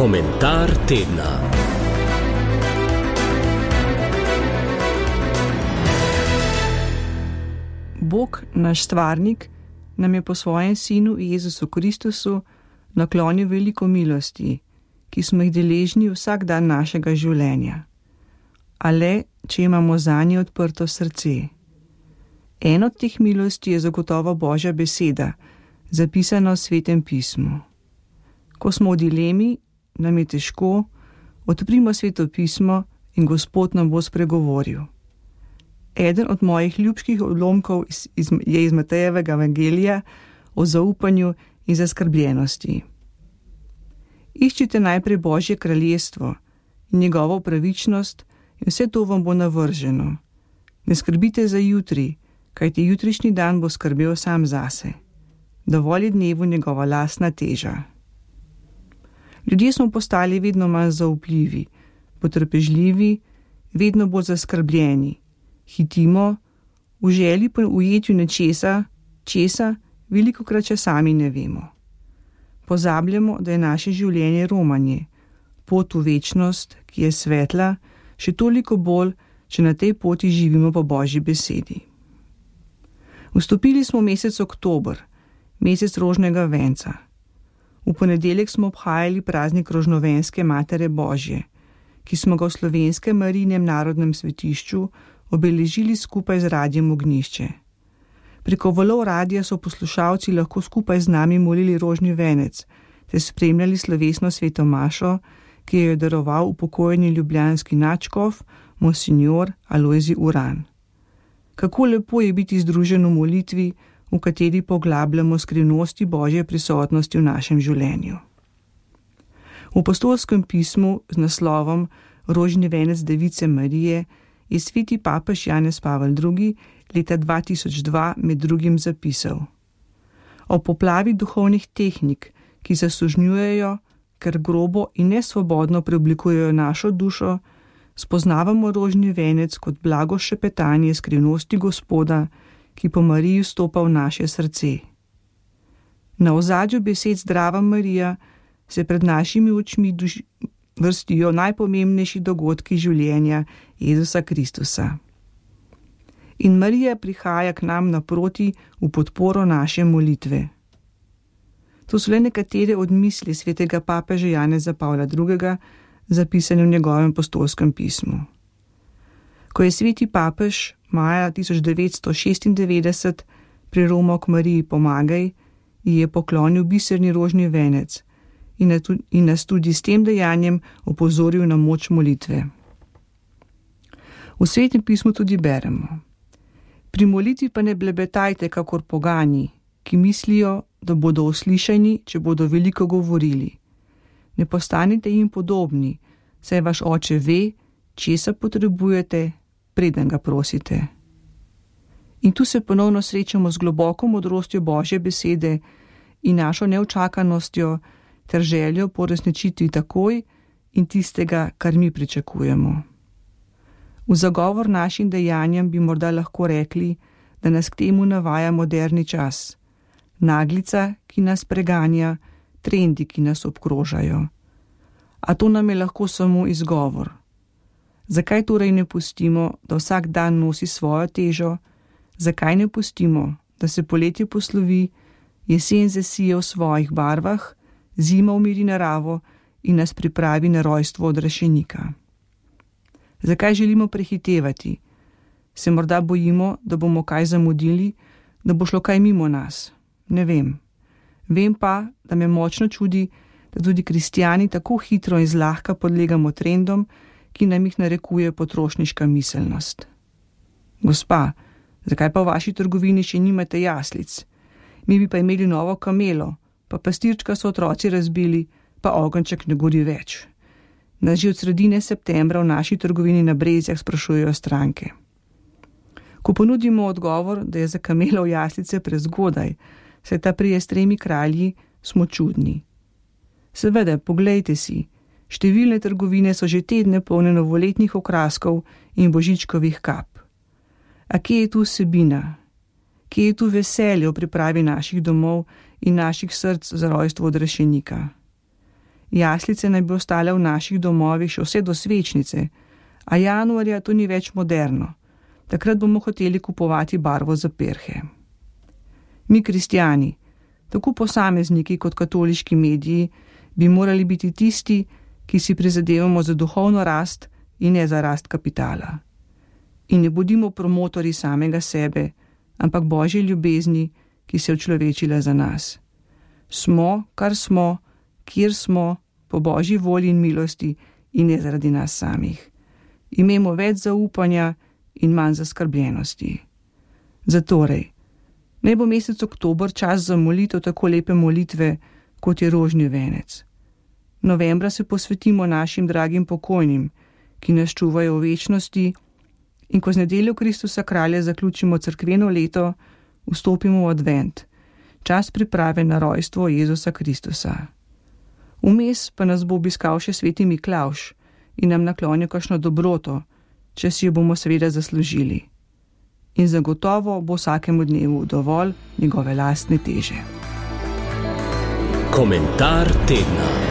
Komentar tedna. Bog, naš stvarnik, nam je po svojem sinu Jezusu Kristusu naklonil veliko milosti, ki smo jih deležni vsak dan našega življenja. A le, če imamo zanje odprto srce. En od teh milosti je zagotovo Božja beseda, zapisana v Svetem pismu. Ko smo v dilemi, nam je težko, odprimo Sveto pismo in Gospod nam bo spregovoril. Eden od mojih ljubških odlomkov je iz Matejevega evangelija o zaupanju in zaskrbljenosti. Iščite najprej Božje kraljestvo in njegovo pravičnost in vse to vam bo navrženo. Ne skrbite za jutri, kajti jutrišnji dan bo skrbel sam zase. Dovolj je dnevu njegova lastna teža. Ljudje smo postali vedno manj zaupljivi, potrpežljivi, vedno bolj zaskrbljeni. Hitimo, v želji po ujetju nečesa, velikokrat še sami ne vemo. Pozabljamo, da je naše življenje romanje, pot v večnost, ki je svetla, še toliko bolj, če na tej poti živimo po Božji besedi. Vstopili smo v mesec oktober, mesec rožnega venca. V ponedeljek smo obhajali praznik rožnovenske Matere Božje, ki smo ga v Slovenskem Marijinem narodnem svetišču obeležili skupaj z Radiem Ognjišče. Preko valov radia so poslušalci lahko skupaj z nami molili rožni venec ter spremljali slovesno sveto mašo, ki jo je daroval upokojeni ljubljanski nadškof monsinjor Alojzij Uran. Kako lepo je biti združen v molitvi, v kateri poglabljamo skrivnosti Božje prisotnosti v našem življenju. V apostolskem pismu z naslovom Rožni venec Device Marije je sveti papež Janez Pavel II. Leta 2002 med drugim zapisal: O poplavi duhovnih tehnik, ki zasužnjujejo, ker grobo in nesvobodno preoblikujejo našo dušo, spoznavamo rožni venec kot blago šepetanje skrivnosti Gospoda, ki po Mariji vstopa v naše srce. Na ozadju besed Zdrava Marija se pred našimi očmi vrstijo najpomembnejši dogodki življenja Jezusa Kristusa. In Marija prihaja k nam naproti v podporo naše molitve. To so le nekatere od misli svetega papeža Janeza Pavla II., zapisane v njegovem apostolskem pismu. Ko je sveti papež maja 1996 priromal k Mariji Pomagaj, ji je poklonil biserni rožni venec in nas tudi s tem dejanjem opozoril na moč molitve. V Svetem pismu tudi beremo: Pri molitvi pa ne blebetajte kakor pogani, ki mislijo, da bodo uslišani, če bodo veliko govorili. Ne postanite jim podobni, saj vaš oče ve, česa potrebujete, preden ga prosite. In tu se ponovno srečamo z globoko modrostjo Božje besede in našo neučakanostjo ter željo po resničitvi takoj in tistega, kar mi pričakujemo. V zagovor našim dejanjem bi morda lahko rekli, da nas k temu navaja moderni čas. Naglica, ki nas preganja, trendi, ki nas obkrožajo. A to nam je lahko samo izgovor. Zakaj torej ne pustimo, da vsak dan nosi svojo težo? Zakaj ne pustimo, da se poletje poslovi, jesen zasije v svojih barvah, zima umiri naravo in nas pripravi na rojstvo odrešenika? Zakaj želimo prehitevati? Se morda bojimo, da bomo kaj zamudili, da bo šlo kaj mimo nas? Ne vem. Vem pa, da me močno čudi, da tudi kristjani tako hitro in zlahka podlegamo trendom, ki nam jih narekuje potrošniška miselnost. Gospa, zakaj pa v vaši trgovini še nimate jaslic? Mi bi pa imeli novo kamelo, pa pastirčka so otroci razbili, pa ogenček ne gori več. Nas že od sredine septembra v naši trgovini na Brezjah sprašujejo stranke. Ko ponudimo odgovor, da je za kamelo v jaslice prezgodaj, saj ta prije s 3 kralji, smo čudni. Seveda, poglejte si, številne trgovine so že tedne polne novoletnih okraskov in božičkovih kap. A kje je tu vsebina? Kje je tu veselje v pripravi naših domov in naših src za rojstvo odrešenika? Jaslice naj bi ostale v naših domovih še vse do svečnice, a januarja to ni več moderno. Takrat bomo hoteli kupovati barvo za perhe. Mi, kristjani, tako posamezniki kot katoliški mediji, bi morali biti tisti, ki si prizadevamo za duhovno rast in ne za rast kapitala. In ne bodimo promotorji samega sebe, ampak Božje ljubezni, ki se je učlovečila za nas. Smo, kar smo, kjer smo, po Božji volji in milosti in ne zaradi nas samih. Imejmo več zaupanja in manj zaskrbljenosti. Zatorej, naj bo mesec oktober čas za molitev tako lepe molitve, kot je rožni venec. Novembra se posvetimo našim dragim pokojnim, ki nas čuvajo v večnosti, in ko z nedeljo Kristusa kralja zaključimo cerkveno leto, vstopimo v advent, čas priprave na rojstvo Jezusa Kristusa. Vmes pa nas bo obiskal še sveti Miklavž in nam naklonil kakšno dobroto, če si jo bomo seveda zaslužili. In zagotovo bo vsakemu dnevu dovolj njegove lastne teže. Komentar tedna.